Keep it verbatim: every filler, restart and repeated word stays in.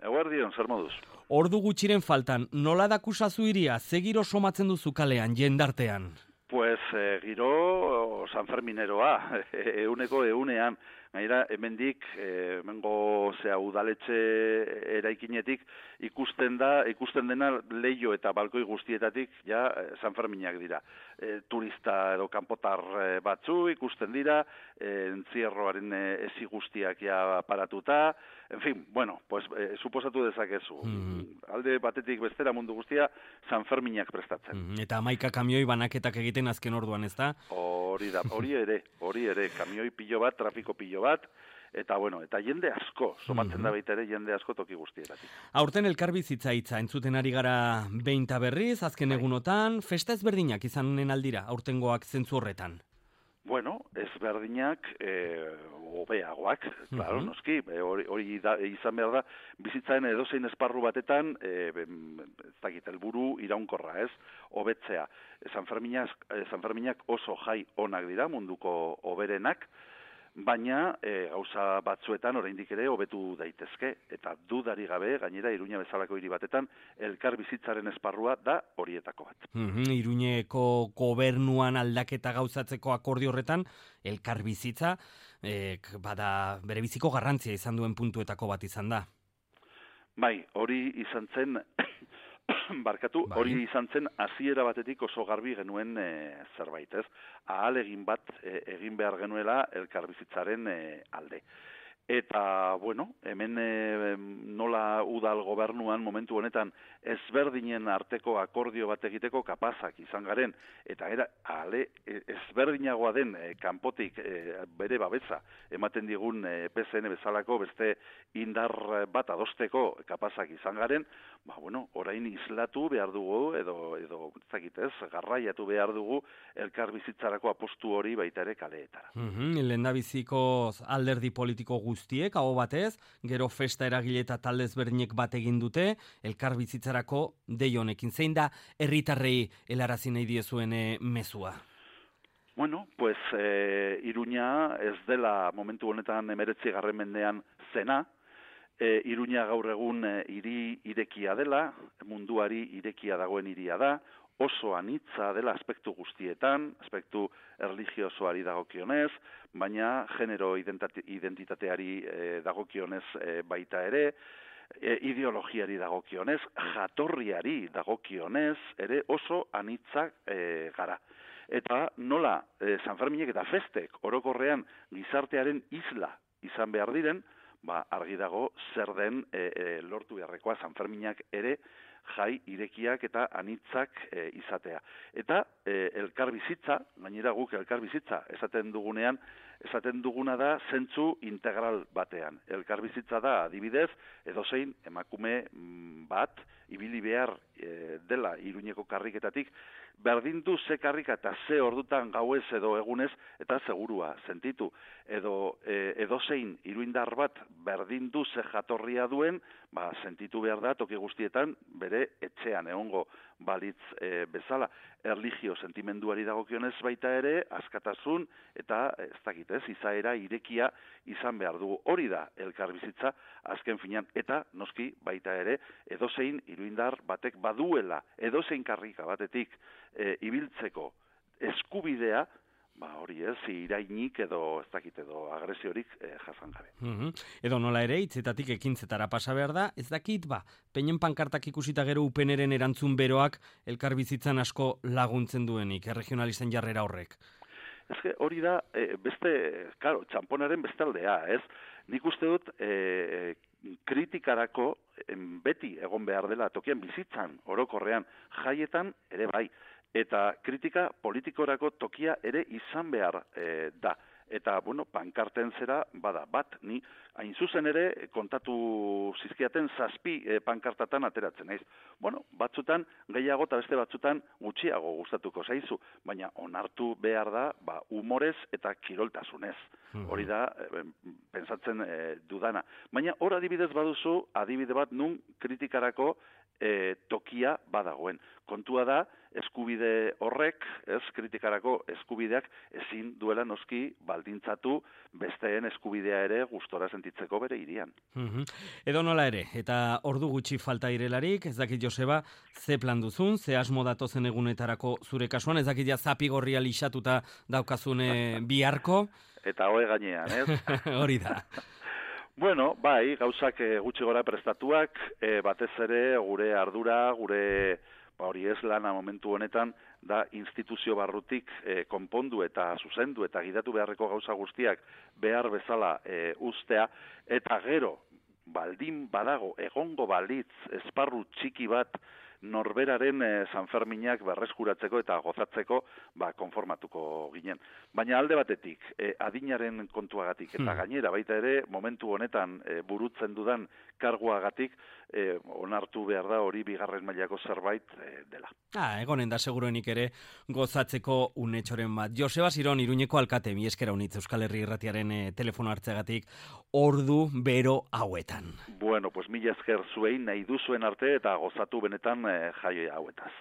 Eguerdion, zer moduz? Ordu gutxiren faltan, nola dakusazu iria, ze giro somatzen duzu kalean, jendartean? Pues eh, giro sanfermineroa, euneko eunean. Gaira, hemendik, eh, hemengo zea udaletxe eraikinetik ikusten da, ikusten dena leio eta balkoi guztietatik ja sanferminak dira. E, turista edo kanpotar batzu ikusten dira, e, entzierroaren ezi guztiak ja paratuta, en fin, bueno, pues e, suposatu dezakezu. Mm. Alde batetik bestera mundu guztia sanferminak prestatzen. Mm. Eta hamaika kamioi banaketak egiten azken orduan, ez da? Hori da, hori ere, hori ere, kamioi pilo bat, trafiko pilo bat, eta bueno, eta jende asko, somatzen mm-hmm. da baita ere jende asko toki guztietatik. Aurten elkarbizitza hitza entzuten ari gara behin ta berriz, azken egunotan, festa ezberdinak izanen aldira, aurtengoak zentzu horretan. Bueno, ezberdinak, eh, hobeagoak, claro, uh-huh. noski, hori, hori da, izan behar da, bizitzaren edozein esparru batetan, eh, ez dakit, helburu iraunkorra, ez, hobetzea. Sanferminak, Sanferminak oso jai onak dira, munduko hoberenak, baina e, gauza batzuetan oraindik ere hobetu daitezke, eta dudari gabe, gainera Iruña bezalako hiri batetan, elkar bizitzaren esparrua da horietako bat. Mm-hmm. Iruñeko gobernuan aldaketa gauzatzeko akordio horretan, elkar bizitza, e, bada bere biziko garrantzia izan duen puntuetako bat izan da. Bai, hori izan zen... Barkatu, bai. Hori izan zen hasiera batetik oso garbi genuen e, zerbait, ez? Ahal egin bat e, egin behar genuela elkarbizitzaren e, alde. Eta, bueno, hemen e, nola udal gobernuan momentu honetan ezberdinen arteko akordio bat egiteko kapazak izan garen, eta era ale ezberdinagoa den e, kanpotik e, bere babesa ematen digun e, P S N bezalako beste indar bat adosteko kapazak izan garen, ba, bueno, orain islatu behar dugu, edo, edo zakitez, garraiatu behar dugu elkarbizitzarako apostu hori baita ere kaleetara. Mm-hmm. Lehendabiziko alderdi politiko guztiek, hau batez, gero festa eragile eta talde ezberdinek bat egin dute, elkarbizitzarako dei honekin. Zein da herritarrei helarazi nahi diezuen mezua? Bueno, pues eh, Iruña ez dela momentu honetan emeretzi garren mendean zena, E, Iruña gaur egun e, hiri irekia dela, munduari irekia dagoen hiria da, oso anitza dela aspektu guztietan, aspektu erlijiosoari dagokionez, baina genero identitateari e, dagokionez e, baita ere, e, ideologiari dagokionez, jatorriari dagokionez, ere oso anitzak e, gara. Eta nola e, Sanferminek eta festek orokorrean gizartearen isla izan behar diren, ba, argi dago zer den e, e, lortu beharrekoa Sanferminak ere jai irekiak eta anitzak e, izatea. Eta e, elkarbizitza, gainera guk elkarbizitza esaten dugunean, esaten duguna da zentzu integral batean. Elkarbizitza da adibidez, edozein emakume bat, ibili behar e, dela Iruñeko karriketatik, berdin du ze karrika eta ze ordutan gauez edo egunez eta segurua sentitu. Edo e, edozein iruindar bat berdin du ze jatorria duen, ba, sentitu behar da toki guztietan bere etxean egongo balitz e, bezala. Erlijio sentimenduari dagokionez baita ere, askatasun eta ez dakit ez, izaera irekia izan behar dugu. Hori da elkarbizitza azken finean, eta noski baita ere edozein iruindar batek baduela, edozein karrika batetik e, ibiltzeko eskubidea, ba hori ez, irainik edo ez dakit edo agresiorik e, jasan gabe. Mm-hmm. Edo nola ere, hitzetatik ekintzetara pasa behar da, ez dakit, ba, peinen pankartak ikusita gero upeneren erantzun beroak elkarbizitzan asko laguntzen duenik, erregionalisten jarrera horrek. Ez que hori da, e, beste, karo, txamponaren bestaldea, ez? Nik uste dut, e, kritikarako beti egon behar dela tokian bizitzan, orokorrean, jaietan ere bai. Eta kritika politikorako tokia ere izan behar e, da. Eta, bueno, pankarten zera, bada, bat, ni hain zuzen ere kontatu zizkiaten zazpi e, pankartatan ateratzen naiz. Bueno, batzutan gehiago eta beste batzutan gutxiago gustatuko zaizu, baina onartu behar da, ba, humorez eta kiroltasunez. Hori da, e, pensatzen e, dudana. Baina hor adibidez baduzu, adibide bat nun kritikarako e, tokia badagoen. Kontua da, eskubide horrek, ez, kritikarako eskubideak ezin duela noski baldintzatu besteen eskubidea ere gustora sentitzeko bere hirian. Mm-hmm. Edo nola ere, eta ordu gutxi falta irelarik, ez dakit Joseba, ze plan duzun, ze asmo datozen egunetarako zure kasuan, ez dakit ja zapigorria lixatuta daukazune biharko. Eta hoe gainean, ez? Hori da. Bueno, bai, gauzak e, gutxi gora prestatuak, e, batez ere gure ardura, gure ba hori ez lana momentu honetan, da instituzio barrutik e, konpondu eta zuzendu eta gidatu beharreko gauza guztiak behar bezala e, ustea, eta gero, baldin badago, egongo balitz, esparru txiki bat, norberaren e, Sanferminak berreskuratzeko eta gozatzeko ba, konformatuko ginen. Baina alde batetik, e, adinaren kontuagatik, eta gainera baita ere, momentu honetan e, burutzen dudan karguagatik, e, onartu behar da hori bigarren mailako zerbait e, dela. Ah, egonen da seguruenik ere gozatzeko unetxoren bat. Joseba Ziron, Iruñeko alkate, mi eskera unitz Euskal Herri Irratiaren e, telefono hartzeagatik ordu bero hauetan. Bueno, pues mila esker zuei nahi duzuen arte eta gozatu benetan e, jaio hauetaz.